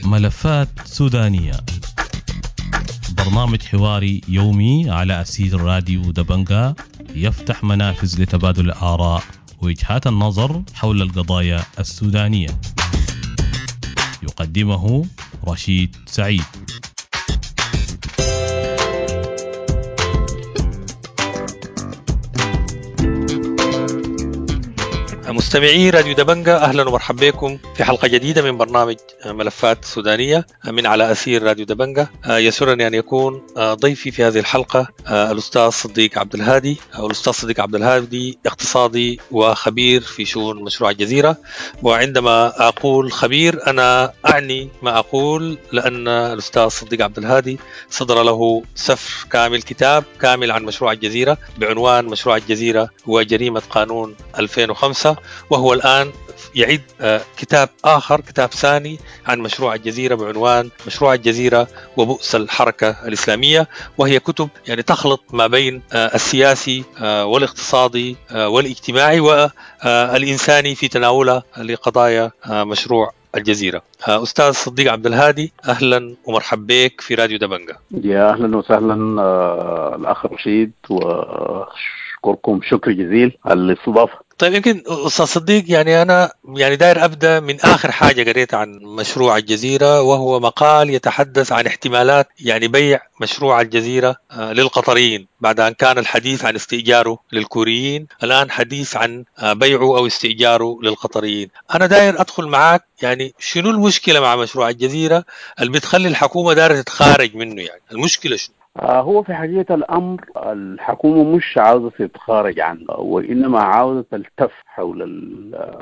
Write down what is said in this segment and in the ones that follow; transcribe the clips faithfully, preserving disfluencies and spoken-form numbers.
ملفات سودانية، برنامج حواري يومي على أثير راديو دبنقا، يفتح منافذ لتبادل الآراء ووجهات النظر حول القضايا السودانية. يقدمه رشيد سعيد. مستمعي راديو دبنقا، أهلا ومرحبا بكم في حلقة جديدة من برنامج ملفات سودانية من على أثير راديو دبنقا. يسرني أن يكون ضيفي في هذه الحلقة الأستاذ صديق عبد الهادي. الأستاذ صديق عبد الهادي اقتصادي وخبير في شؤون مشروع الجزيرة، وعندما أقول خبير أنا أعني ما أقول، لأن الأستاذ صديق عبد الهادي صدر له سفر كامل، كتاب كامل عن مشروع الجزيرة بعنوان مشروع الجزيرة وجريمة قانون ألفين وخمسة، وهو الآن يعد كتاب آخر، كتاب ثاني عن مشروع الجزيرة بعنوان مشروع الجزيرة وبؤس الحركة الإسلامية، وهي كتب يعني تخلط ما بين السياسي والاقتصادي والاجتماعي والإنساني في تناولها لقضايا مشروع الجزيرة. أستاذ صديق عبد الهادي، أهلا ومرحبا بك في راديو دبنقا. يا أهلا وسهلا الأخ رشيد، وأشكركم شكر جزيل على الاستضافة. طيب، يمكن أستاذ صديق، يعني أنا يعني داير أبدأ من آخر حاجة قريت عن مشروع الجزيرة، وهو مقال يتحدث عن احتمالات يعني بيع مشروع الجزيرة للقطريين بعد أن كان الحديث عن استئجاره للكوريين، الآن حديث عن بيعه أو استئجاره للقطريين. أنا داير أدخل معاك، يعني شنو المشكلة مع مشروع الجزيرة اللي بتخلي الحكومة دايرة تتخارج منه؟ يعني المشكلة شنو؟ هو في حقيقة الأمر الحكومة مش عاوزة تتخارج عنه، وإنما عاوزة تلتف حول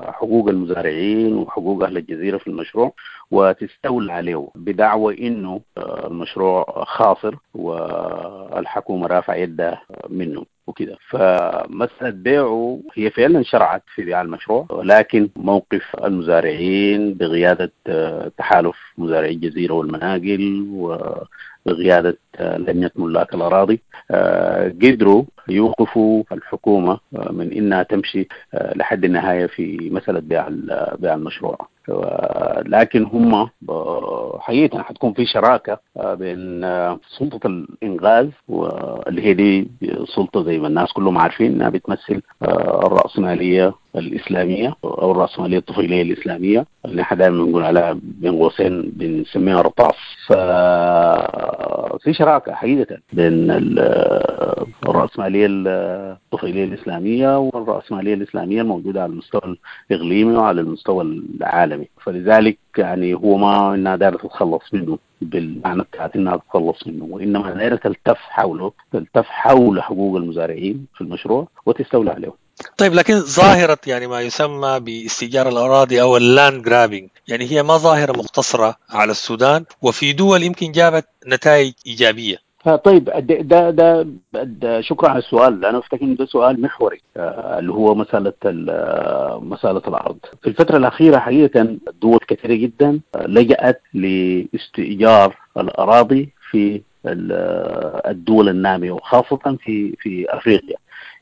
حقوق المزارعين وحقوق أهل الجزيرة في المشروع وتستولى عليه بدعوى إنه المشروع خاسر والحكومة رافعة يدها منه وكده. فمسألة بيعه هي فعلا شرعت في بيع المشروع، ولكن موقف المزارعين بقيادة تحالف مزارعي الجزيرة والمناقل وبقيادة لجنة ملاك الأراضي قدروا يوقفوا الحكومة من إنها تمشي لحد النهاية في مسألة بيع بيع المشروع. لكن هم حقيقة حتكون في شراكة بين سلطة الإنغاز، واللي هي دي سلطة زي ما الناس كلهم عارفين إنها بتمثل الرأسمالية الإسلامية أو الرأسمالية الطفيلية الإسلامية اللي احنا دائما بنقول عليها بين قوسين بنسميها رطاس. ففي شراكة حقيقة بين الرأسمالية الطفيلية الإسلامية والرأسمالية الإسلامية الموجودة على المستوى الإقليمي وعلى المستوى العالمي. فلذلك يعني هو ما إنها دايرة تتخلص منه بالمعنى بتاعت إنها تتخلص منه، وإنما دايرة تلتف حوله، تلتف حول حقوق المزارعين في المشروع وتستولى عليه. طيب، لكن ظاهرة يعني ما يسمى باستئجار الأراضي أو ال land grabbing، يعني هي ما ظاهرة مقتصرة على السودان، وفي دول يمكن جابت نتائج إيجابية. طيب، ده ده, ده شكرا على السؤال. أنا أفتكر إنه ده سؤال محوري، اللي هو مسألة مسألة الأرض. في الفترة الأخيرة حقيقة دول كثيرة جدا لجأت لاستئجار الأراضي في الدول النامية، وخاصة في في أفريقيا،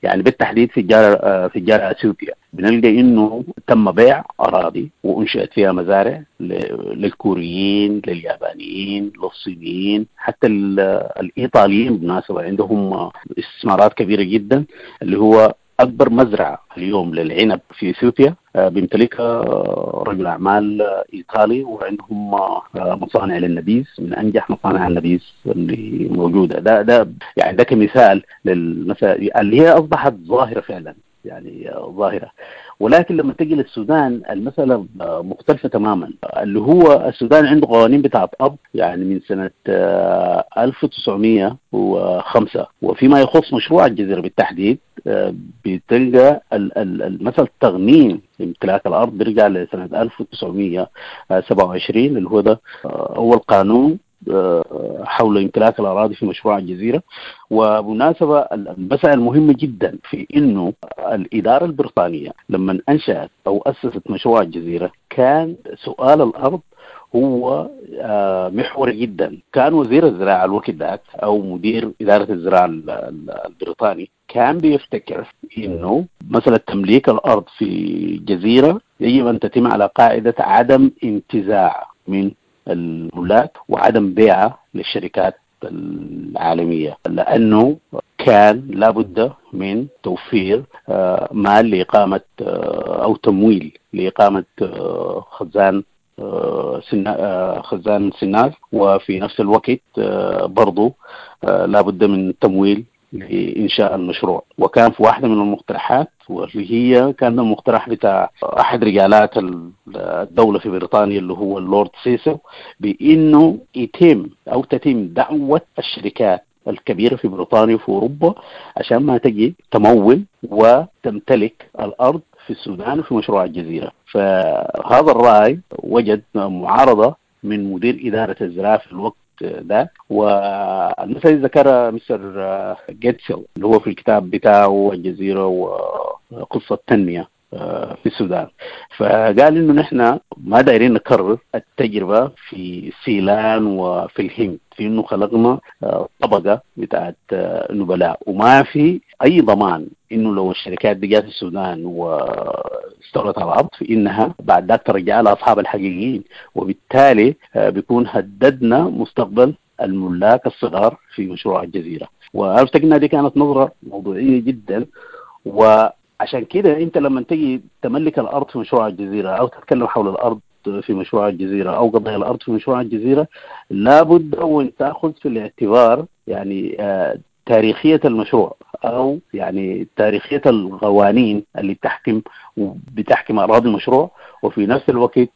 يعني بالتحديد في الجارة في الجارة أثيوبيا. بنلقى إنه تم بيع أراضي وأنشئت فيها مزارع للكوريين، لليابانيين، للصينيين، حتى الإيطاليين بالمناسبة عندهم استثمارات كبيرة جدا، اللي هو أكبر مزرعة اليوم للعنب في إثيوبيا بيمتلكها رجل أعمال إيطالي، وعندهم مصانع للنبيذ من أنجح مصانع النبيذ اللي موجودة. ده ده يعني ده كمثال للمسائل اللي هي أصبحت ظاهرة فعلا، يعني ظاهرة. ولكن لما تجي للسودان المسألة مختلفة تماما. اللي هو السودان عنده قوانين بتاعت أرض يعني من سنة ألف وتسعمية وخمسة، وفيما يخص مشروع الجزيرة بالتحديد بتلقى المسألة التغنيم امتلاك الأرض بيرجع لسنة ألف وتسعمية وسبعة وعشرين، اللي هو ده أول قانون حول امتلاك الأراضي في مشروع الجزيرة. وبمناسبة المسألة المهمة جدا في إنه الإدارة البريطانية لما أنشأت أو أسست مشروع الجزيرة كان سؤال الأرض هو محوري جدا. كان وزير الزراعة الوقت ذاك أو مدير إدارة الزراعة البريطاني كان بيفتكر إنه مسألة تمليك الأرض في جزيرة يجب أن تتم على قاعدة عدم انتزاع من الملاك وعدم بيعها للشركات العالمية، لأنه كان لابد من توفير مال لإقامة أو تمويل لإقامة خزان خزان سنار، وفي نفس الوقت برضو لابد من تمويل لإنشاء المشروع. وكان في واحدة من المقترحات واللي هي كان المقترح بتاع أحد رجالات الدولة في بريطانيا اللي هو اللورد سيسو، بأنه يتم أو تتم دعوة الشركات الكبيرة في بريطانيا وفي أوروبا عشان ما تجي تمول وتمتلك الأرض في السودان وفي مشروع الجزيرة. فهذا الرأي وجد معارضة من مدير إدارة الزراعة في الوقت ده، والمثل ذكرها مستر جيتسل اللي هو في الكتاب بتاعه الجزيرة وقصة تنمية في السودان، فقال إنه نحن ما دايرين نكرر التجربة في سيلان وفي الهند، في إنه خلقنا طبقة بتاعت نبلاء، وما في أي ضمان إنه لو الشركات دي جات السودان واستولت على الأرض فإنها بعد ذاك ترجع لأصحاب الحقيقيين، وبالتالي بيكون هددنا مستقبل الملاك الصغار في مشروع الجزيرة. وأفتكر إنها دي كانت نظرة موضوعية جدا، و عشان كده انت لما تيجي تملك الارض في مشروع الجزيرة او تتكلم حول الارض في مشروع الجزيرة او قضايا الارض في مشروع الجزيرة، لابد وان تاخذ في الاعتبار يعني تاريخية المشروع او يعني تاريخية القوانين اللي بتحكم وبتحكم اراضي المشروع، وفي نفس الوقت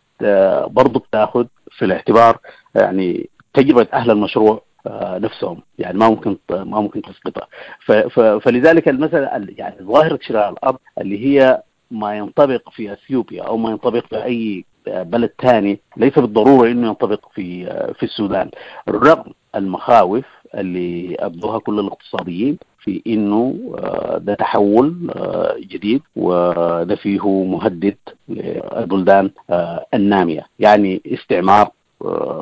برضو بتاخذ في الاعتبار يعني تجربه اهل المشروع نفسهم، يعني ما ممكن ما ممكن تسقطها. فلذلك المسألة يعني ظاهرة شراء الأرض اللي هي ما ينطبق في أثيوبيا أو ما ينطبق في أي بلد ثاني ليس بالضرورة إنه ينطبق في في السودان، رغم المخاوف اللي أبدوها كل الاقتصاديين في إنه ده تحول جديد وده فيه مهدد للبلدان النامية، يعني استعمار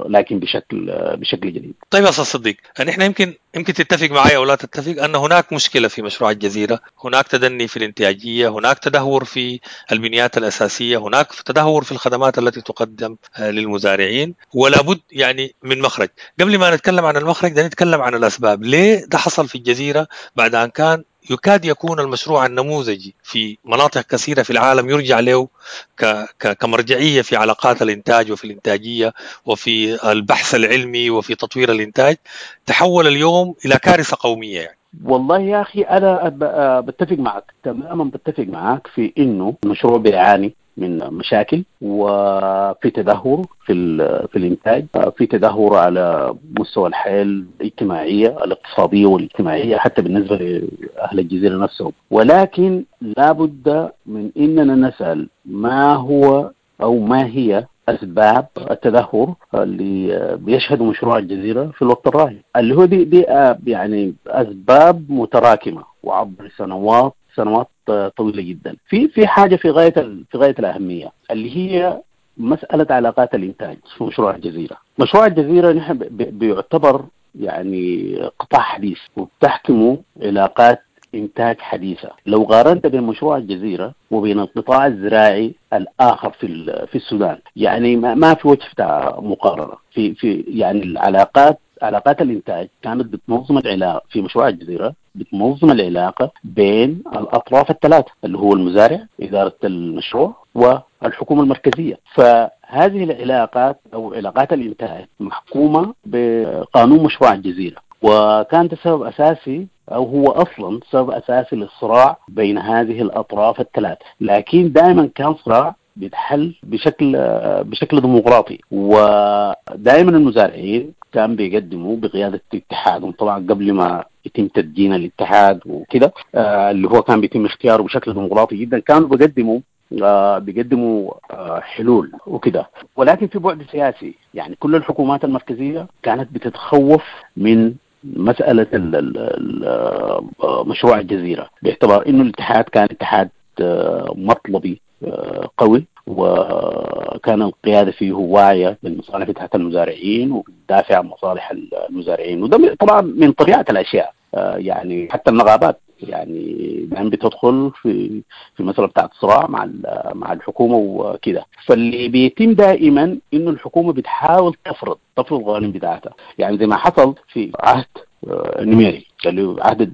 لكن بشكل بشكل جديد. طيب يا استاذ صديق، نحن يمكن يمكن تتفق معي او لا تتفق ان هناك مشكلة في مشروع الجزيرة، هناك تدني في الانتاجية، هناك تدهور في البنيات الاساسية، هناك تدهور في الخدمات التي تقدم للمزارعين، ولا بد يعني من مخرج. قبل ما نتكلم عن المخرج ده نتكلم عن الاسباب، ليه ده حصل في الجزيرة بعد ان كان يكاد يكون المشروع النموذجي في مناطق كثيرة في العالم يرجع له كمرجعية في علاقات الإنتاج وفي الإنتاجية وفي البحث العلمي وفي تطوير الإنتاج، تحول اليوم إلى كارثة قومية يعني. والله يا أخي أنا بتفق معك تماما، بتفق معك في إنه المشروع بيعاني من مشاكل وفي تدهور في في الإنتاج، في تدهور على مستوى الحياة الاجتماعية الاقتصادية والاجتماعية حتى بالنسبة لأهل الجزيرة نفسهم، ولكن لابد من إننا نسأل ما هو أو ما هي أسباب التدهور اللي بيشهد مشروع الجزيرة في الوقت الراهن، اللي هو دي, دي يعني أسباب متراكمة وعبر سنوات سنوات طويلة جدا. في في حاجة في غاية في غاية الأهمية اللي هي مسألة علاقات الإنتاج في مشروع الجزيرة. مشروع الجزيرة نحن بيعتبر يعني قطاع حديث وبتحكمه علاقات إنتاج حديثة. لو قارنت بين مشروع الجزيرة وبين القطاع الزراعي الآخر في في السودان، يعني ما في وجه بتاع مقارنة. في في يعني العلاقات علاقات الإنتاج كانت بتنظم العلاقة في مشروع الجزيرة، بتنظم العلاقة بين الأطراف الثلاثة اللي هو المزارع، إدارة المشروع، والحكومة المركزية. فهذه العلاقات أو علاقات الإنتاج محكومة بقانون مشروع الجزيرة، وكان سبب أساسي أو هو أصلا سبب أساسي للصراع بين هذه الأطراف الثلاث، لكن دائما كان صراع بيتحل بشكل بشكل ديمقراطي، ودائما المزارعين كان بيقدموا بقيادة اتحادهم طبعا قبل ما يتم تدجين الاتحاد وكده، اللي هو كان بيتم اختياره بشكل ديمقراطي جدا، كانوا بيقدموا بيقدموا حلول وكده. ولكن في بعد سياسي، يعني كل الحكومات المركزية كانت بتتخوف من مسألة مشروع الجزيرة باعتبار إنه الاتحاد كان اتحاد مطلبي قوي، وكان القيادة فيه واعية بالمصالح بتاعت المزارعين وبتدافع عن مصالح المزارعين، وده طبعا من طبيعة الأشياء. يعني حتى النقابات يعني دائما بتدخل في في مسألة بتاعت صراع مع مع الحكومة وكده. فاللي بيتم دائما إنه الحكومة بتحاول تفرض تفرض القوانين بتاعتها، يعني زي ما حصل في عهد نميري اللي هو عهد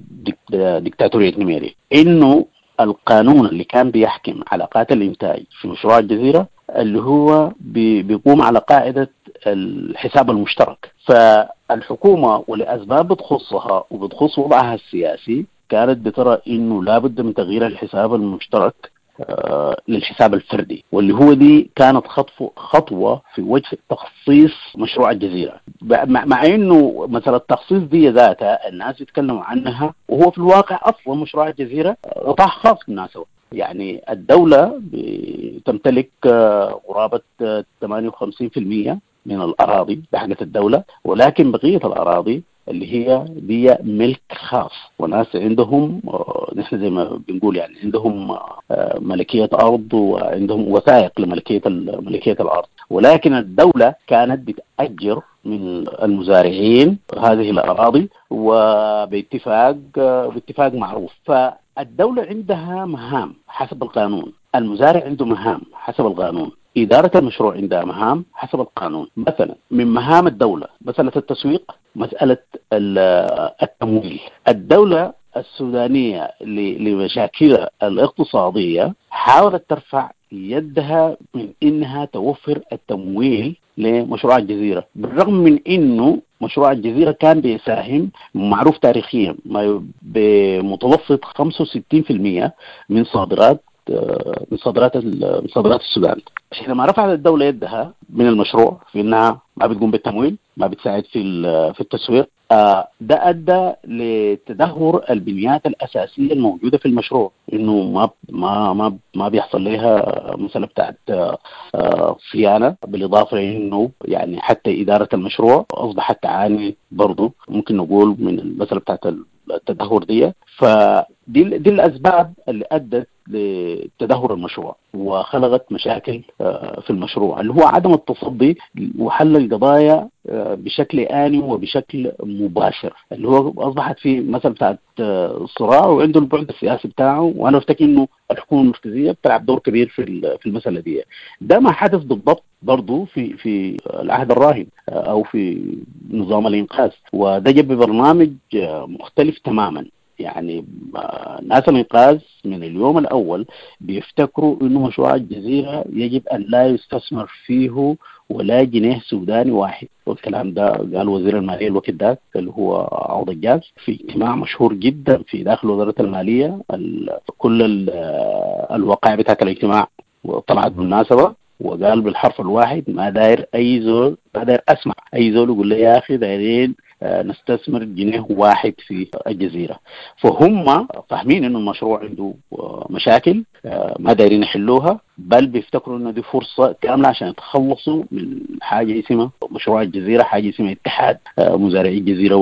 ديكتاتورية نميري، إنه القانون اللي كان بيحكم علاقات الإنتاج في مشروع الجزيرة اللي هو بيقوم على قاعدة الحساب المشترك. فالحكومة ولأسباب بتخصها وبتخص وضعها السياسي كانت بترى إنه لابد من تغيير الحساب المشترك للحساب الفردي، واللي هو دي كانت خطوة في وجه تخصيص مشروع الجزيرة، مع إنه مثلا التخصيص دي ذاتها الناس يتكلموا عنها، وهو في الواقع أصلا مشروع الجزيرة قطاع خاص بالمناسبة. يعني الدولة تمتلك قرابة ثمانية وخمسين بالمئة من الأراضي بحقة الدولة، ولكن بقية الأراضي اللي هي دي ملك خاص، وناس عندهم نحن زي ما بنقول يعني عندهم ملكية أرض وعندهم وثائق لملكية ملكية الأرض، ولكن الدولة كانت بتأجر من المزارعين هذه الأراضي وباتفاق باتفاق معروف. فالدولة عندها مهام حسب القانون، المزارع عنده مهام حسب القانون، إدارة المشروع عندها مهام حسب القانون. مثلا من مهام الدولة مسألة التسويق، مسألة التمويل. الدولة السودانية لمشاكلها الاقتصادية حاولت ترفع يدها من إنها توفر التمويل لمشروع الجزيرة، بالرغم من إنه مشروع الجزيرة كان بيساهم معروف تاريخيا بمتوسط خمسة وستين بالمئة من صادرات من صادرات من صادرات السودان. حينما رفعت الدولة يدها من المشروع في إنها ما بتقوم بالتمويل، ما بتساعد في في التسويق، ده أدى لتدهور البنيات الأساسية الموجودة في المشروع، إنه ما ما ما ما بيحصل لها مسألة بتاعت صيانة، بالإضافة إنه يعني حتى إدارة المشروع أصبحت تعاني برضو ممكن نقول من المسألة بتاعت التدهور دي. فدي دي الأسباب اللي أدت لتدهور المشروع وخلقت مشاكل في المشروع، اللي هو عدم التصدي وحل القضايا بشكل آني وبشكل مباشر، اللي هو أصبحت في مثل بتاعت الصراع وعنده البعد السياسي بتاعه. وأنا أفتكر إنه الحكومة المركزية بتلعب دور كبير في في المسألة دي. ده ما حدث بالضبط برضو في في العهد الراهن أو في نظام الإنقاذ، وده جاب ببرنامج مختلف تماما. يعني ناس الإنقاذ من اليوم الأول بيفتكروا إنه مشروع الجزيرة يجب أن لا يستثمر فيه ولا جنيه سوداني واحد، والكلام ده قال وزير المالية الوقت ده اللي هو عوض الجاز في اجتماع مشهور جدا في داخل وزارة المالية. كل الوقائع بتاعت الاجتماع طلعت بالمناسبة، وقال بالحرف الواحد ما داير أي زول، ما داير أسمع أي زول يقول لي يا أخي دايرين نستثمر جنيه واحد في الجزيرة. فهم فاهمين إنه المشروع عنده مشاكل ما دايرين يحلوها، بل بيفتكروا إنه دي فرصة كاملة عشان يتخلصوا من حاجة اسمها مشروع الجزيرة، حاجة اسمها اتحاد مزارعي الجزيرة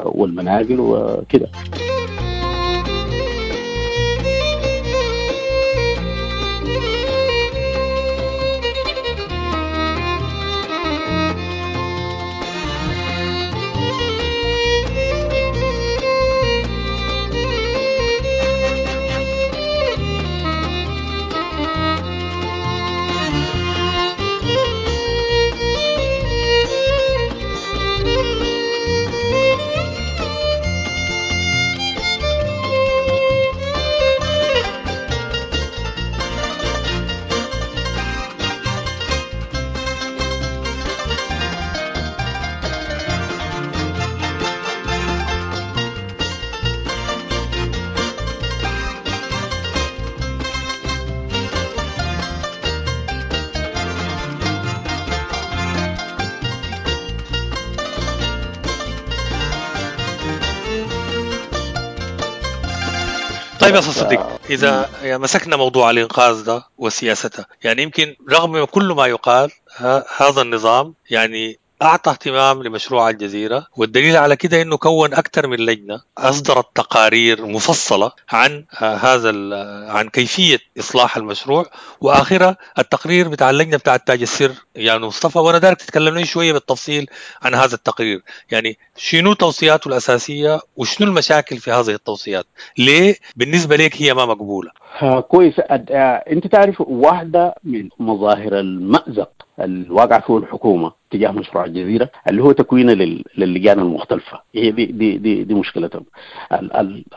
والمناقل وكده. طيب يا أستاذ صديق، إذا مسكنا موضوع الإنقاذ ده وسياسته، يعني يمكن رغم كل ما يقال هذا النظام يعني أعطى اهتمام لمشروع الجزيرة، والدليل على كده أنه كون أكثر من لجنة أصدرت تقارير مفصلة عن هذا عن كيفية إصلاح المشروع، وآخرها التقرير بتاع اللجنة بتاع تاج السر يعني مصطفى. وأنا دارك تتكلم لي شوية بالتفصيل عن هذا التقرير، يعني شنو توصياته الأساسية وشنو المشاكل في هذه التوصيات، ليه بالنسبة لك هي ما مقبولة؟ كويس. أنت تعرف واحدة من مظاهر المأزق الواقع فيه الحكومة تجاه مشروع الجزيرة اللي هو تكوينه للجان المختلفة، هي دي دي دي, دي مشكلتهم.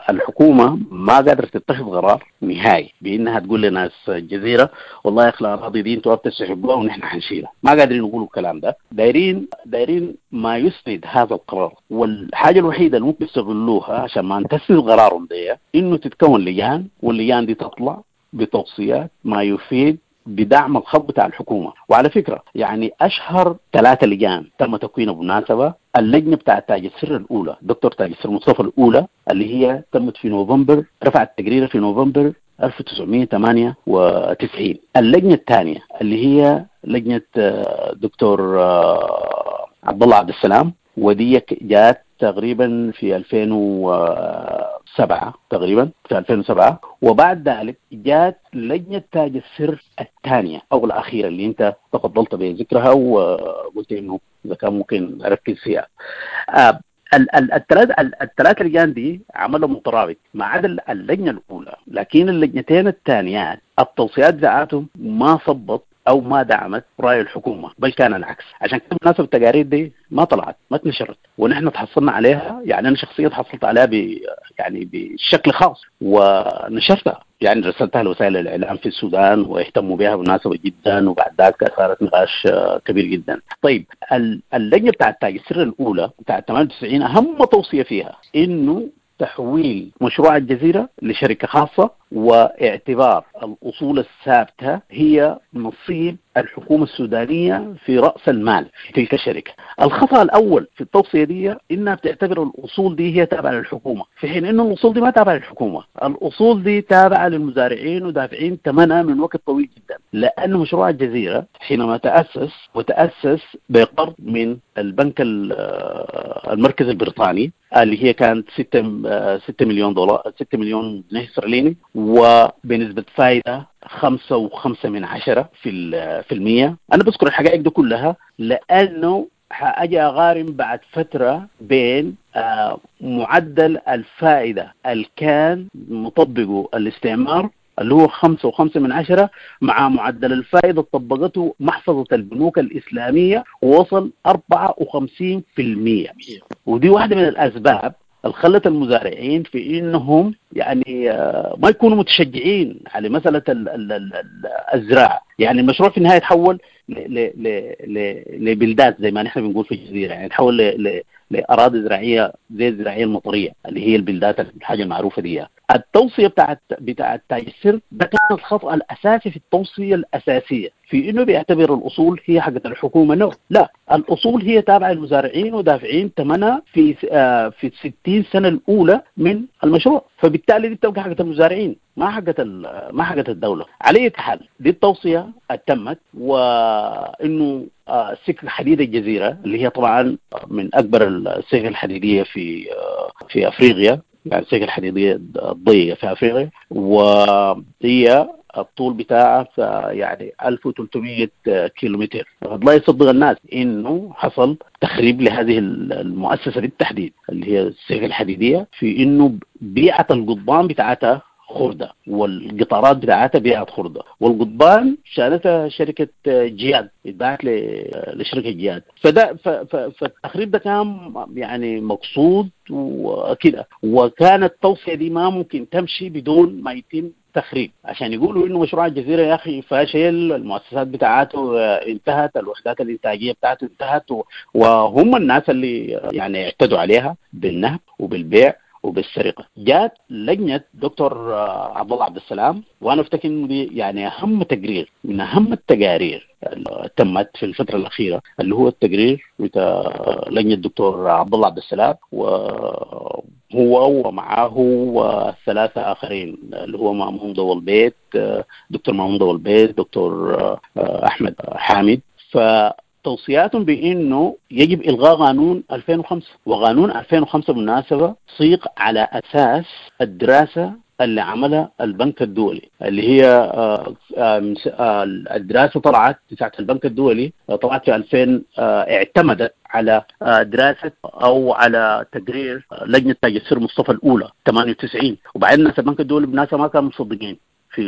الحكومة ما قادرة تتخذ قرار نهائي بأنها تقول لناس الجزيرة والله يا أخي الأراضي دي انتوا بتسحبوها ونحن حنشيلها، ما قادرين يقولوا الكلام ده. دايرين دايرين ما يسند هذا القرار، والحاجة الوحيدة اللي ممكن يستغلوها عشان ما تسند قرارهم دي إنه تتكون لجان، واللجان دي تطلع بتوصيات ما يفيد بدعم الخط بتاع الحكومة. وعلى فكرة يعني أشهر ثلاثة لجان تم تكوينها بالمناسبة، اللجنة بتاع تاج السر الأولى، دكتور تاج السر مصطفى الأولى، اللي هي تمت في نوفمبر، رفعت تقريرها في نوفمبر ألف وتسعمية وثمانية وتسعين. اللجنة الثانية اللي هي لجنة دكتور عبد الله عبد السلام، ودي جات تقريبا في ألفين وسبعة تقريبا في ألفين وسبعة. وبعد ذلك جات لجنة تاج السر الثانية أو الأخيرة اللي أنت تفضلت بذكرها وقلت إنه إذا كان ممكن أركز فيها. الثلاث الثلاث لجان دي عملوا مترابط ما عدا اللجنة الأولى، لكن اللجنتين الثانيات التوصيات بتاعتهم ما صبت أو ما دعمت رأي الحكومة، بل كان العكس. عشان كده بالنسبة التقارير دي ما طلعت، ما اتنشرت، ونحن تحصلنا عليها، يعني أنا شخصيا تحصلت عليها ب يعني بشكل خاص ونشرتها، يعني رسلتها لوسائل الإعلام في السودان واهتموا بها بالمناسبة جدا، وبعد ذلك أثارت نقاش كبير جدا. طيب اللجنة بتاعت تاج السر الأولى بتاعت ثمانية وتسعين أهم توصية فيها إنه تحويل مشروع الجزيرة لشركة خاصة، واعتبار الأصول الثابتة هي نصيب الحكومة السودانية في رأس المال في تلك الشركة. الخطأ الأول في التوصية دي إنها بتعتبر الأصول دي هي تابعة للحكومة، في حين إنه الأصول دي ما تابعة للحكومة، الأصول دي تابعة للمزارعين ودافعين ثمنها من وقت طويل جدا. لأن مشروع الجزيرة حينما تأسس وتأسس بقرض من البنك المركزي البريطاني اللي هي كانت ستة مليون دولار، ستة مليون جنيه استرليني، وبنسبة فائدة خمسة وخمسة من عشرة في في المية. أنا بذكر الحقائق دي كلها لأنه حأجي أغارم بعد فترة بين معدل الفائدة اللي كان مطبقه الاستعمار اللي هو خمسة وخمسة من عشرة مع معدل الفائدة طبقته محفظة البنوك الإسلامية ووصل أربعة وخمسين في المية. ودي واحدة من الأسباب اللي خلت المزارعين في إنهم يعني ما يكونوا متشجعين على مسألة الزراعة. يعني المشروع في النهاية تحول لبلدات زي ما نحن بنقول في الجزيرة، يعني تحول لأراضي زراعية زي الزراعية المطرية اللي هي البلدات الحاجة المعروفة دي. التوصية بتاعت بتاعت تاج السر ده كان الخطأ الأساسي في التوصية الأساسية في إنه بيعتبر الأصول هي حقت الحكومة. نو، لا، الأصول هي تابعة للمزارعين ودافعين ثمنها في آه في ستين سنة الأولى من المشروع، فبالتالي دي بتبقى حقت المزارعين ما حقت ما حقت الدولة. على أي حال دي التوصية تمت، وإنه آه سكة حديد الجزيرة اللي هي طبعا من أكبر السكك الحديدية في آه في أفريقيا، يعني السكة الحديدية الضيقة في أفريقيا، وهي الطول بتاعها يعني ألف وثلاثمية كيلومتر. لا يصدق الناس إنه حصل تخريب لهذه المؤسسة بالتحديد اللي هي السكة الحديدية، في إنه بيعة القضبان بتاعتها خردة والقطارات بتاعتها بيعت خردة، والقضبان شالتها شركة جياد، اتباعت لشركة جياد. فده فالتخريب ده كان يعني مقصود وكده، وكانت التوصية دي ما ممكن تمشي بدون ما يتم تخريب عشان يقولوا انه مشروع الجزيرة يا اخي فاشل، المؤسسات بتاعته انتهت، الوحدات الانتاجية بتاعته انتهت، وهم الناس اللي يعني اعتدوا عليها بالنهب وبالبيع وبالسرقة. جات لجنة دكتور عبد الله عبد السلام، وأنا أفتكر إنه دي يعني أهم تقرير من أهم التقارير اللي تمت في الفترة الأخيرة، اللي هو التقرير بتاع لجنة الدكتور عبد الله عبد السلام، وهو ومعاه ثلاثة آخرين اللي هو مامون ضو البيت، دكتور مامون ضو البيت، دكتور أحمد حامد. ف توصياتهم بانه يجب الغاء قانون ألفين وخمسة، وقانون ألفين وخمسة بالمناسبة صيغ على اساس الدراسة اللي عملها البنك الدولي، اللي هي الدراسة طلعت بتاعت البنك الدولي، طلعت في ألفين، اعتمدت على دراسة أو على تقرير لجنة تاج السر مصطفى الأولى ثمانية وتسعين. وبعدين ناس البنك الدولي بالناس ما كانوا مصدقين في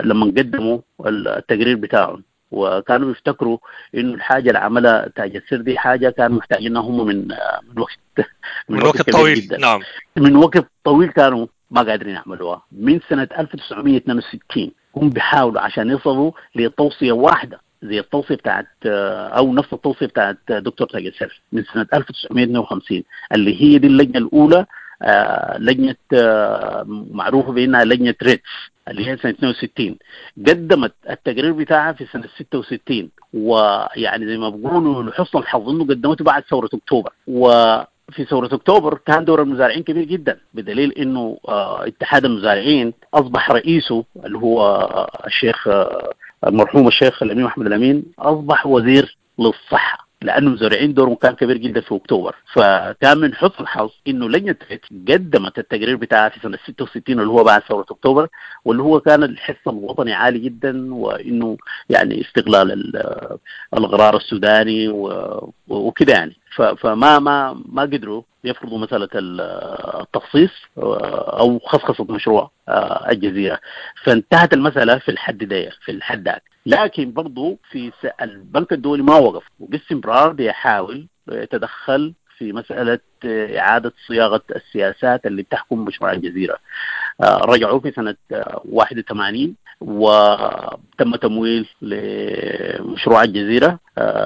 لما قدموا التقرير بتاعهم، وكانوا بيفتكروا إنه الحاجة اللي عملها تاج السر دي حاجة كانوا محتاجينها هم من من وقت من, من وقت طويل جدا. نعم، من وقت طويل كانوا ما قادرين يعملوها. من سنة ألف وتسعمية واثنين وستين هم بيحاولوا عشان يصلوا لتوصية واحدة زي التوصية بتاعت أو نفس التوصية بتاعت دكتور تاج السر من سنة ألف وتسعمية واثنين وخمسين، اللي هي دي اللجنة الأولى، آه لجنة آه معروفة بأنها لجنة ريتس، اللي هي سنة اثنين وستين. قدمت التقرير بتاعها في سنة ستة وستين، ويعني زي ما بيقولوا لحسن الحظ إنه قدمته بعد ثورة أكتوبر. و في ثورة أكتوبر كان دور المزارعين كبير جدا، بدليل إنه آه اتحاد المزارعين أصبح رئيسه اللي هو آه الشيخ آه المرحوم الشيخ الأمين محمد الأمين أصبح وزير للصحة، لأنه المزارعين دورهم كان كبير جدا في أكتوبر. فكان من حسن الحظ إنه لجنة قدمت التقرير بتاعها في سنة ستة وستين اللي هو بعد ثورة أكتوبر، واللي هو كان الحس الوطني عالي جدا، وإنه يعني استغلال الغرار السوداني وكده يعني. فما ما ما قدروا يفرضوا مسألة التخصيص أو خصخصة مشروع الجزيرة، فانتهت المسألة في الحد ده في الحد ده. لكن برضو في البنك الدولي ما وقف، وباستمرار بيحاول يتدخل في مسألة إعادة صياغة السياسات اللي بتحكم مشروع الجزيرة. رجعوا في سنة واحد وثمانين وتم تمويل لمشروع الجزيرة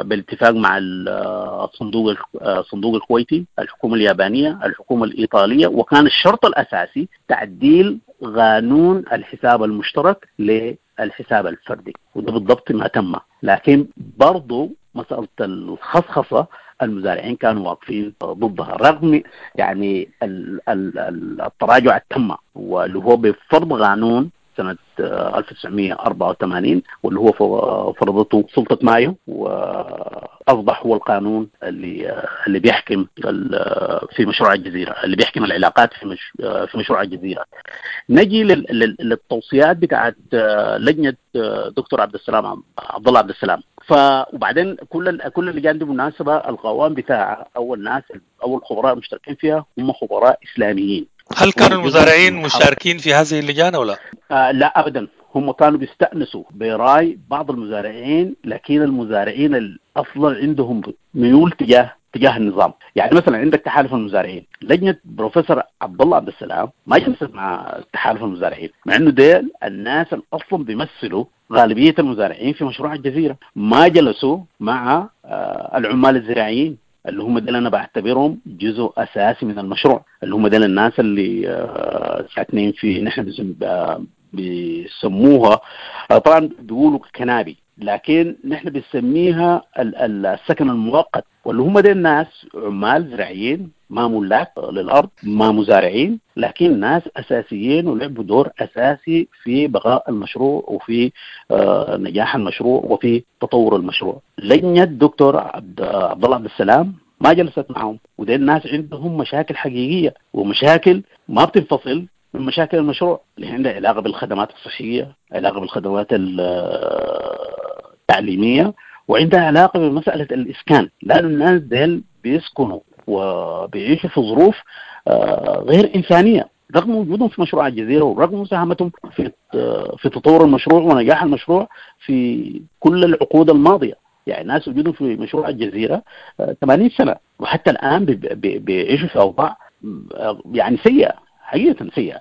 بالاتفاق مع الصندوق الصندوق الكويتي، الحكومة اليابانية، الحكومة الإيطالية، وكان الشرط الأساسي تعديل قانون الحساب المشترك للحساب الفردي، وده بالضبط ما تم. لكن برضو مسألة الخصخصة المزارعين كانوا واقفين ضدها، رغم يعني التراجع التم واللي هو بفرض قانون سنة ألف وتسعمية وأربعة وثمانين واللي هو فرضته سلطة مايو، وأصبح هو القانون اللي اللي بيحكم في مشروع الجزيرة، اللي بيحكم العلاقات في مش في مشروع الجزيرة. نجي للتوصيات بتاعت لجنة دكتور عبد السلام عبد الله عبد السلام. ف وبعدين كل كل اللجان دي بالمناسبة القوام بتاعها أو الناس أو الخبراء المشتركين فيها هم خبراء إسلاميين. هل كانوا المزارعين مشاركين في هذه اللجان أو لا؟ آه لا أبدا، هم كانوا بيستأنسوا براي بعض المزارعين، لكن المزارعين أصلا عندهم ميول تجاه تجاه النظام. يعني مثلا عندك تحالف المزارعين، لجنة بروفيسور عبد الله عبد السلام ما جلست مع تحالف المزارعين، مع انه ديل الناس اللي اصلا بيمثلوا غالبية المزارعين في مشروع الجزيرة، ما جلسوا مع آه العمال الزراعيين اللي هم ديل انا بعتبرهم جزء اساسي من المشروع، اللي هم ديل الناس اللي آه ساكنين في نحن بيسموها طبعا بيقولوا كنابي، لكن نحن بنسميها السكن المؤقت، واللي هم دي الناس عمال زراعيين ما ملاك للأرض، ما مزارعين، لكن ناس أساسيين ولعبوا دور أساسي في بقاء المشروع وفي نجاح المشروع وفي تطور المشروع. لجنة الدكتور عبد الله عبد السلام ما جلست معهم، ودي الناس عندهم مشاكل حقيقية ومشاكل ما بتنفصل من مشاكل المشروع، اللي عندها علاقة بالخدمات الصحية، علاقة بالخدمات التعليمية، وعندها علاقة بمسألة الإسكان، لأن الناس ديل بيسكنوا وبيعيشوا في ظروف غير إنسانية رغم وجودهم في مشروع الجزيرة ورغم مساهمتهم في في تطور المشروع ونجاح المشروع في كل العقود الماضية. يعني ناس وجودهم في مشروع الجزيرة ثمانين سنة وحتى الآن بيعيشوا في أوضاع يعني سيئة، حقيقة سيئة.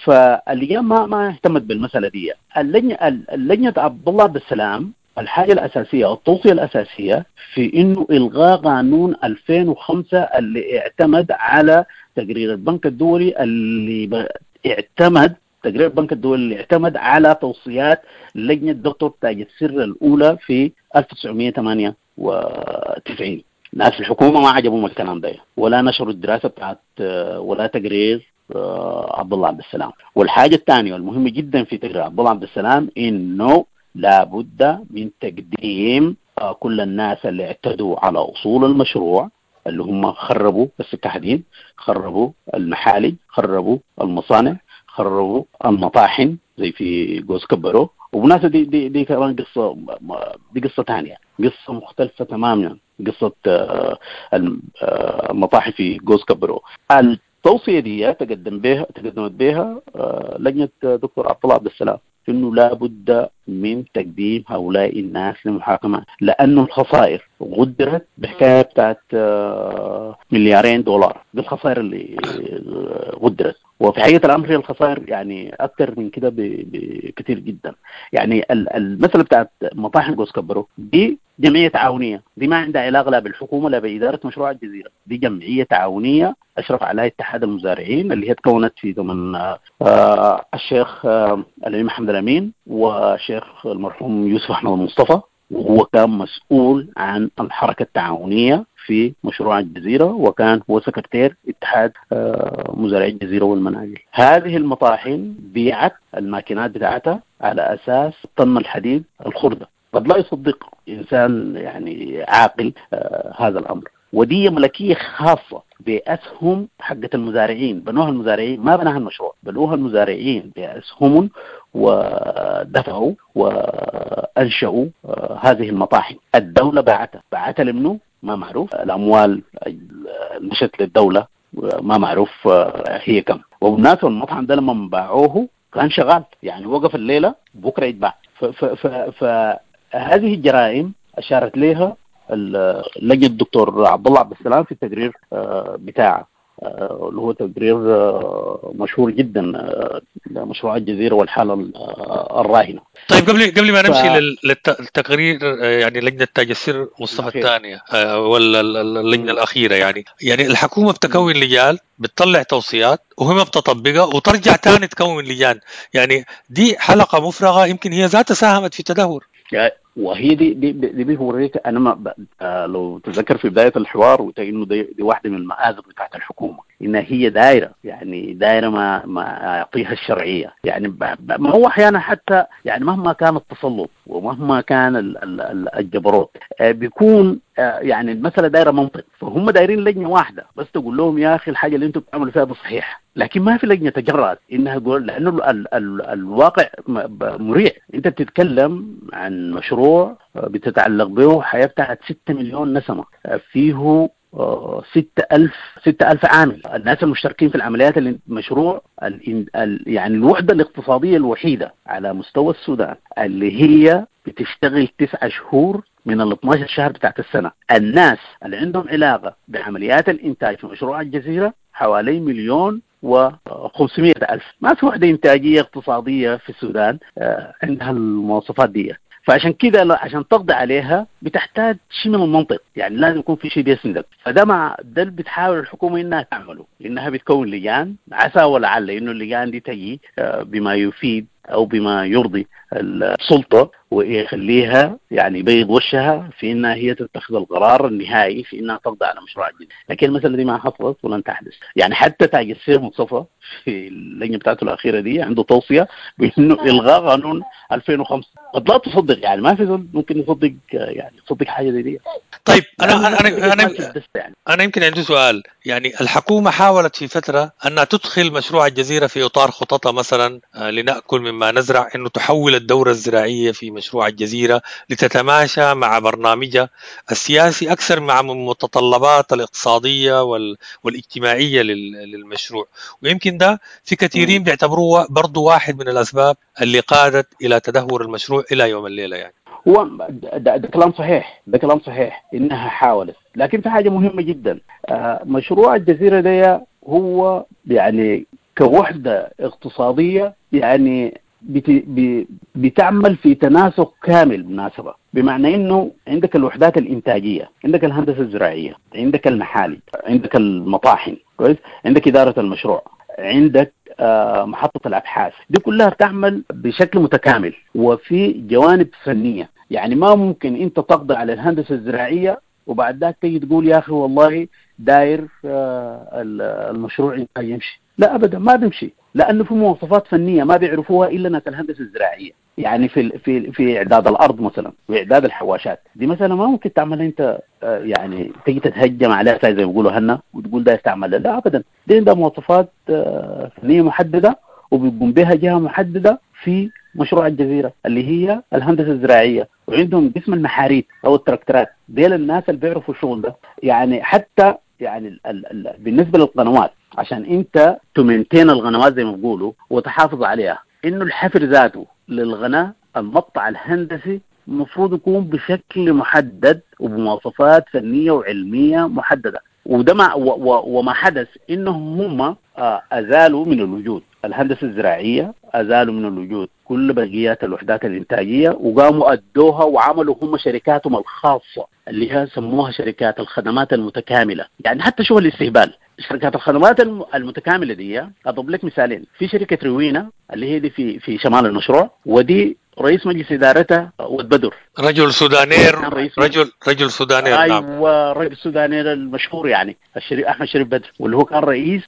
فاللجان ما ما اهتمت بالمسألة دي. اللجنة اللجنة عبد الله عبد السلام الحاجة الأساسية أو التوصية الأساسية في إنه إلغاء قانون ألفين وخمسة اللي اعتمد على تقرير البنك الدولي، اللي اعتمد تقرير البنك الدولي اللي اعتمد على توصيات لجنة دكتور تاج السر الأولى في ألف وتسعمية وثمانية وتسعين. ناس الحكومة ما عجبهم الكلام ده، ولا نشروا الدراسة بتاعت ولا تقرير عبد الله عبد السلام. والحاجة الثانية والمهمة جدا في تقرير عبد الله عبد السلام إنه لابد من تقديم كل الناس اللي اعتدوا على أصول المشروع، اللي هم خربوا السكة حديد، خربوا المحالج، خربوا المصانع، خربوا المطاحن زي في جوز كبرو. وبالمناسبة دي دي دي كمان قصة، دي قصة ثانية، قصة مختلفة تماما، قصة المطاحن في جوز كبرو. التوصية دي تقدم بها تقدمت بها لجنة دكتور عبد الله عبد السلام، إنه لا بد من تقديم هؤلاء الناس للمحاكمة، لأنه الخسائر قدرت بحكاية بتاعت مليارين دولار، دي الخسائر اللي قدرت. وفي حقيقة الأمر هي الخسائر يعني أكثر من كده بكثير جدا. يعني المسألة بتاعت مطاحن جوز كبرو دي جمعية تعاونية، دي ما عندها علاقة لا بالحكومة لا بإدارة مشروع الجزيرة، دي جمعية تعاونية أشرف عليها اتحاد المزارعين اللي هي تكونت في زمن آه الشيخ آه الأمين محمد الأمين والشيخ المرحوم يوسف أحمد المصطفى، وهو كان مسؤول عن الحركة التعاونية في مشروع الجزيرة، وكان هو سكرتير اتحاد مزارعي الجزيرة والمناجل. هذه المطاحن بيعت الماكينات بتاعتها على أساس طن الحديد الخردة. قد لا يصدق إنسان يعني عاقل هذا الأمر. ودي ملكية خاصة بأسهم حقة المزارعين، بنوها المزارعين، ما بناها المشروع، بنوها المزارعين بأسهم ودفعوا وأنشأوا هذه المطاحن. الدولة باعتها، باعتها لمنه ما معروف، الأموال مشت للدولة ما معروف هي كم. وبالناس المطعم ده لما باعوه كان شغال، يعني وقف الليلة بكرة يتباع. فهذه الجرائم أشارت لها لجنة الدكتور عبد الله عبد السلام في التقرير بتاعه، اللي هو تقرير مشهور جدا لمشروع الجزيرة والحالة الراهنة. طيب قبل قبل ما نمشي ف... للتقرير، يعني لجنة تاج السر مصطفى الثانية ولا اللجنة الأخيرة، يعني يعني الحكومة بتكون لجان، بتطلع توصيات وهم بتطبقها وترجع تاني تكون لجان، يعني دي حلقة مفرغة يمكن هي ذاتها ساهمت في التدهور. وهي دي دي دي بيوريك انا ما ب... آه لو تذكر في بداية الحوار وقلت انه دي, دي واحدة من المآزق بتاعت الحكومة، انها هي دايرة، يعني دايرة ما ما اعطيها الشرعية، يعني ب... ب... ما هو احيانا حتى يعني مهما كان التسلط ومهما كان ال... ال... الجبروت آه بيكون آه يعني المسالة دايرة منطق، فهم دايرين لجنة واحدة بس تقول لهم يا اخي الحاجة اللي انتم بتعملوا فيها ده صحيح، لكن ما في لجنة تجرأت انها تقول، لانه ال... ال... الواقع مريع. انت بتتكلم عن مشروع بتتعلق به حياة بتاعت ستة مليون نسمة، فيه ستة ألف ستة ألف عامل، الناس المشتركين في العمليات المشروع ال ال يعني الوحدة الاقتصادية الوحيدة على مستوى السودان اللي هي بتشتغل تسعة شهور من ال اثناشر شهر بتاعت السنة. الناس اللي عندهم علاقة بعمليات الإنتاج في مشروع الجزيرة حوالي مليون وخمسمائة ألف. ما في وحدة إنتاجية اقتصادية في السودان عندها المواصفات دي. فعشان كده عشان تقضي عليها بتحتاج شيء من المنطق، يعني لازم يكون في شيء بيسندك. فده مع ده اللي بتحاول الحكومة انها تعمله، انها بتكون لجان، عسى ولعل انه اللجان دي تجي بما يفيد او بما يرضي السلطة ويخليها يعني يبيض وشها في انها هي تتخذ القرار النهائي في انها تقضي على مشروع جديد. لكن المسالة دي ما حصلت ولن تحدث. يعني حتى تاج السر مصطفى في اللجنة بتاعته الاخيرة دي عنده توصية بانه الغاء قانون ألفين وخمسة. قد لا تصدق، يعني ما في زول ممكن يصدق يعني يصدق حاجة زي دي. طيب انا انا انا انا, يعني. أنا يمكن عندي سؤال، يعني الحكومة حاولت في فترة انها تدخل مشروع الجزيرة في اطار خططها مثلا لناكل مما نزرع، انه تحول الدورة الزراعية في مشروع الجزيرة لتتماشى مع برنامجها السياسي أكثر مع المتطلبات الاقتصادية وال... والاجتماعية لل... للمشروع، ويمكن ده في كثيرين بيعتبروه برضو واحد من الأسباب اللي قادت إلى تدهور المشروع إلى يوم الليلة. يعني هو ده, ده كلام صحيح، ده كلام صحيح إنها حاولت، لكن في حاجة مهمة جدا، مشروع الجزيرة ده هو يعني كوحدة اقتصادية يعني بت... بتعمل في تناسق كامل بالمناسبة، بمعنى انه عندك الوحدات الانتاجية، عندك الهندسة الزراعية، عندك المحالي، عندك المطاحن، كويس، عندك إدارة المشروع، عندك آه محطة الأبحاث، دي كلها بتعمل بشكل متكامل وفي جوانب فنية. يعني ما ممكن انت تقضي على الهندسة الزراعية وبعد ذاك تيجي تقول يا أخي والله داير آه المشروع يمشي. لا ابدا ما بيمشي، لانه في مواصفات فنية ما بيعرفوها الا ناس الهندسة الزراعية. يعني في في في اعداد الارض مثلا واعداد الحواشات دي مثلا ما ممكن تعمل انت يعني تيجي تتهجم عليها زي ما بيقولوا هنا وتقول ده استعمل، لا ابدا، دي عندها مواصفات فنية محددة وبيقوم بها جهة محددة في مشروع الجزيرة اللي هي الهندسة الزراعية، وعندهم قسم المحاريت او التراكترات، ديل الناس اللي بيعرفوا الشغل ده. يعني حتى يعني ال ال ال بالنسبة للقنوات، عشان انت ت maintain القنوات زي ما بيقولوا وتحافظ عليها، انه الحفر ذاته للغناء المقطع الهندسي المفروض يكون بشكل محدد وبمواصفات فنية وعلميه محددة. وده ما وما حدث انهم هم ازالوا من الوجود الهندسة الزراعية، ازالوا من الوجود كل بقيات الوحدات الانتاجية، وقاموا ادوها وعملوا هم شركاتهم الخاصة اللي هي سموها شركات الخدمات المتكاملة. يعني حتى شغل الاستهبال، شركات الخدمات المتكاملة دي اضرب لك مثالين، في شركة روينا اللي هي دي في في شمال المشروع، ودي رئيس مجلس ادارتها ود بدر، رجل سودانير، رجل رجل سودانير، ايوه رجل سودانير المشهور يعني الشريف احمد شريف بدر، واللي هو كان رئيس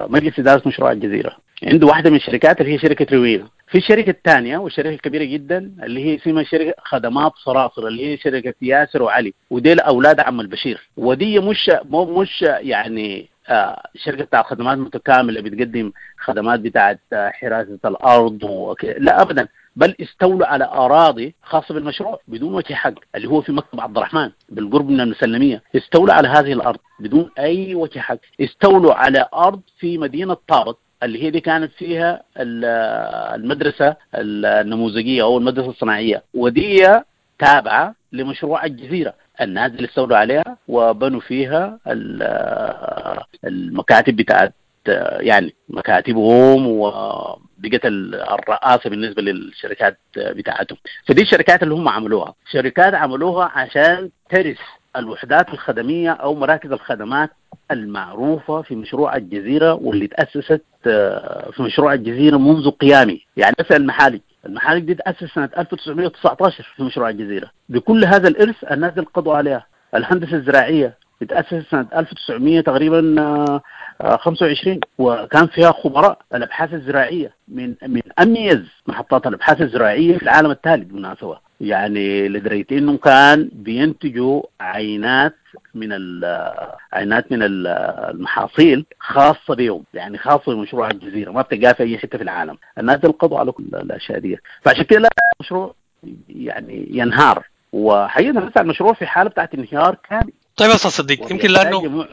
مجلس ادارة مشروع الجزيرة. عنده واحدة من الشركات اللي هي شركة روينا. في الشركة الثانية والشركة الكبيرة جدا اللي هي اسمها شركة خدمات صراصر اللي هي شركة ياسر وعلي، وديل اولاد عم البشير، ودي مش مش يعني آه شركة بتاع خدمات متكاملة بتقدم خدمات بتاعت حراسة الارض وك... لا ابدا، بل استولوا على اراضي خاصة بالمشروع بدون وجه حق، اللي هو في مكتب عبد الرحمن بالقرب من المسلميه، استولوا على هذه الارض بدون اي وجه حق، استولوا على ارض في مدينة طابت اللي هي دي كانت فيها المدرسة النموذجيه او المدرسة الصناعية، ودي تابعه لمشروع الجزيرة. الناس اللي استولوا عليها وبنوا فيها المكاتب بتاعت يعني مكاتبهم، وبقت الرئاسة بالنسبة للشركات بتاعتهم. فدي الشركات اللي هم عملوها، شركات عملوها عشان ترس الوحدات الخدميه او مراكز الخدمات المعروفة في مشروع الجزيرة، واللي تاسست في مشروع الجزيرة منذ قيامه. يعني مثلا المحالج، المحالج دي تاسست سنة ألف وتسعمية وتسعة عشر في مشروع الجزيرة، بكل هذا الارث الناس اللي قضوا عليها. الهندسة الزراعية تأسست سنة ألف وتسعمية تقريبا خمسة وعشرين، وكان فيها خبراء الأبحاث الزراعية من من أميز محطات الأبحاث الزراعية في العالم الثالث بالمناسبة. يعني لدرجة إنهم كان بينتجوا عينات من عينات من المحاصيل خاصة بهم، يعني خاصة بمشروع الجزيرة، ما بتلقاها في أي حتة في العالم. الناس القضوا على كل الأشياء دي، فعشان كده لا المشروع يعني ينهار، وحقيقة لسه المشروع في حالة بتاعت انهيار كامل. طيب أستاذ صديق، يمكن لأنه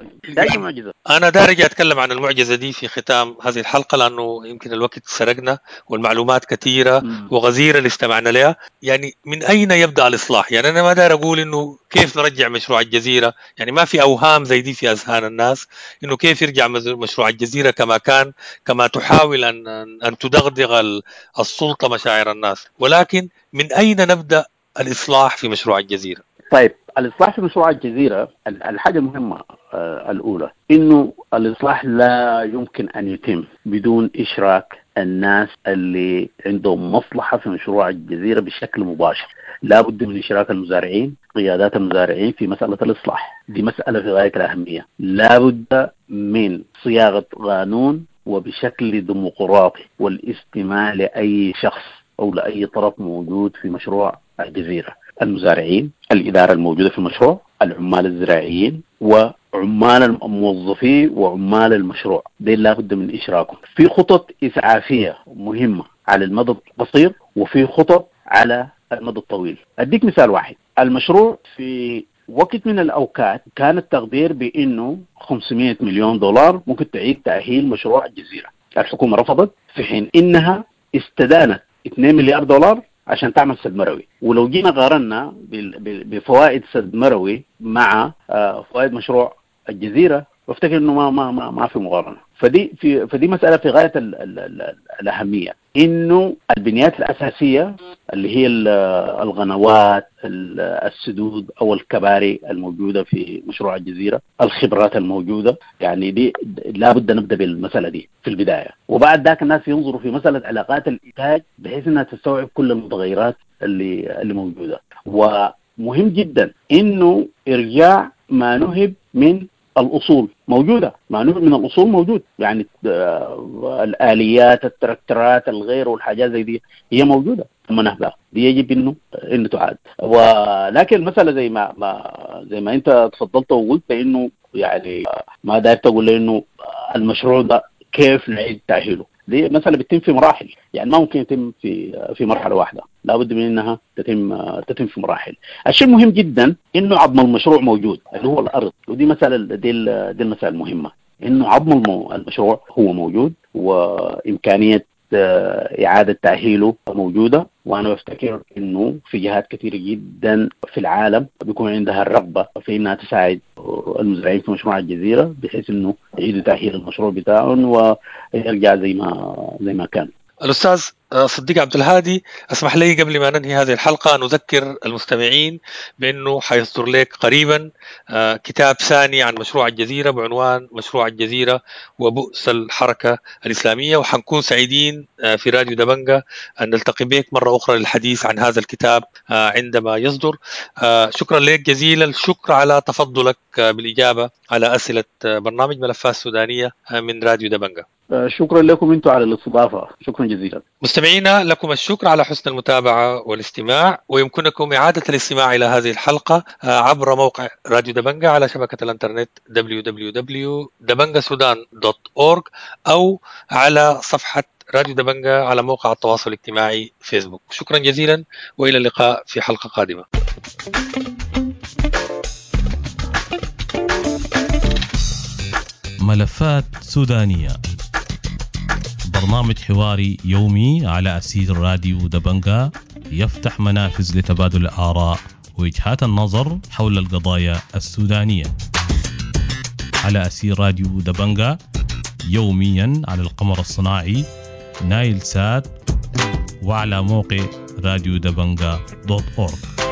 معجزة. أنا دارج أتكلم عن المعجزة دي في ختام هذه الحلقة، لأنه يمكن الوقت سرقنا والمعلومات كثيرة وغزيرة اللي استمعنا لها. يعني من أين يبدأ الإصلاح؟ يعني أنا ما دار أقول إنه كيف نرجع مشروع الجزيرة، يعني ما في أوهام زي دي في أذهان الناس إنه كيف يرجع مشروع الجزيرة كما كان، كما تحاول أن أن تدغدغ السلطة مشاعر الناس، ولكن من أين نبدأ الإصلاح في مشروع الجزيرة؟ طيب الإصلاح في مشروع الجزيرة، الحاجة المهمة الأولى إنه الإصلاح لا يمكن أن يتم بدون إشراك الناس اللي عندهم مصلحة في مشروع الجزيرة بشكل مباشر. لا بد من إشراك المزارعين، قيادات المزارعين في مسألة الإصلاح، دي مسألة في غاية الأهمية. لا بد من صياغة قانون وبشكل ديمقراطي، والاستماع لأي شخص أو لأي طرف موجود في مشروع الجزيرة، المزارعين، الإدارة الموجودة في المشروع، العمال الزراعيين، وعمال الموظفين وعمال المشروع، دي لابد من إشراكهم. في خطط إسعافية مهمة على المدى القصير وفي خطط على المدى الطويل. أديك مثال واحد، المشروع في وقت من الأوقات كان التقدير بأنه خمسمية مليون دولار ممكن تعيد تأهيل مشروع الجزيرة. الحكومة رفضت، في حين إنها استدانت اثنين مليار دولار عشان تعمل سد مروي. ولو جينا قارنا بفوائد سد مروي مع فوائد مشروع الجزيرة، بفتكر انه ما ما ما, ما في مقارنة. فدي في فدي مسالة في غاية ال ال ال الاهمية، انه البنيات الاساسية اللي هي الغنوات، السدود او الكباري الموجودة في مشروع الجزيرة، الخبرات الموجودة، يعني دي لابد نبدا بالمسالة دي في البداية، وبعد ذاك الناس ينظروا في مسالة علاقات الانتاج بحيث انها تستوعب كل المتغيرات اللي اللي موجودة. ومهم جدا انه ارجاع ما نهب من الاصول موجودة، ما نوع من الاصول موجود، يعني الاليات، التراكترات، الغير والحاجات زي دي هي موجودة تم نهبها، دي يجب انه انه تعاد. ولكن المسالة زي ما ما زي ما انت تفضلت وقلت انه يعني ما داير تقول انه المشروع ده كيف نعيد تاهيله، دي مسألة بتتم في مراحل، يعني ما ممكن يتم في في مرحلة واحدة، لابد من انها تتم تتم في مراحل. الشيء المهم جدا انه عظم المشروع موجود اللي هو الارض، ودي مسألة دي دي المسألة المهمة، انه عظم المشروع هو موجود وامكانية إعادة تأهيله موجودة. وأنا بفتكر إنه في جهات كثيرة جدا في العالم بيكون عندها الرغبة في إنها تساعد المزارعين في مشروع الجزيرة بحيث إنه يعيدوا تأهيل المشروع بتاعهم ويرجع زي ما زي ما كان. الأستاذ صديق عبد الهادي، اسمح لي قبل ما ننهي هذه الحلقة أن أذكر المستمعين بأنه حيصدر لك قريبا كتاب ثاني عن مشروع الجزيرة بعنوان مشروع الجزيرة وبؤس الحركة الإسلامية، وحنكون سعيدين في راديو دبنجة أن نلتقي بك مرة أخرى للحديث عن هذا الكتاب عندما يصدر. شكرا لك جزيلا الشكر على تفضلك بالإجابة على أسئلة برنامج ملفات سودانية من راديو دبنجة. شكرا لكم انتم على الاستضافة، شكرا جزيلا. مستمعينا لكم الشكر على حسن المتابعة والاستماع، ويمكنكم إعادة الاستماع إلى هذه الحلقة عبر موقع راديو دبنجة على شبكة الانترنت دبليو دبليو دبليو دوت دبنجة سودان دوت أورج أو على صفحة راديو دبنجة على موقع التواصل الاجتماعي فيسبوك. شكرا جزيلا وإلى اللقاء في حلقة قادمة. ملفات سودانية، برنامج حواري يومي على أثير راديو دبنجة، يفتح منافذ لتبادل الآراء ووجهات النظر حول القضايا السودانية على أثير راديو دبنجة يوميا على القمر الصناعي نايل سات وعلى موقع راديو دبنجة دوت أورج.